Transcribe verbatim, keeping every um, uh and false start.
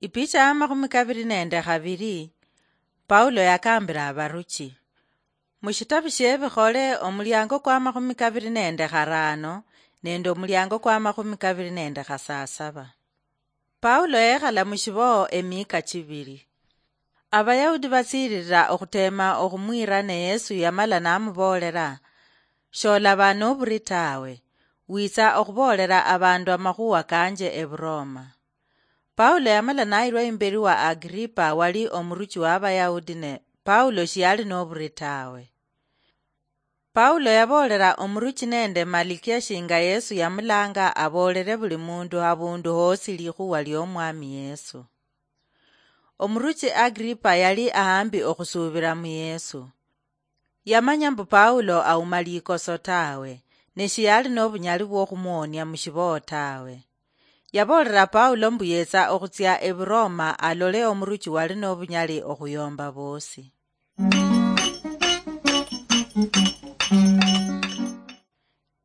Ipicha ya makhumi kabiri nende khabiri. Paulo yakambira abaruchi. Mushitabu shiebikhole omuliango kwa makhumi kabiri nende kharano nende omuliango kwa makhumi kabiri nende khasasaba. Paulo yekhala mushiboho emika chibiri. Abayahudi batsiririra okhutema okhumwira, ne Yesu yamala namuboolera, "Sholaba noburi tawe, witsa okhuboolera abandu amakhuwa kanje eburoma." Paulo yamala nayirwa imberi wa Agripa, wali omuruchi wa Abayahudi, ne Paulo shiyali noburi tawe. Paulo yaboolera omuruchi nende Malikia shinga Yesu yamulanga aboolere buli mundu habundu hosi likhuwa liomwami Yesu. Omuruchi Agripa yali ahambi okhusubira mu Yesu. Yamanya mbu Paulo auma likoso tawe, ne shiyali nobunyali bwokhumuonia mushiboho tawe. Yaboolera Paulo mbu yetsa okhutsia eburoma alole omuruchi wali nobunyali okhuyomba bosi.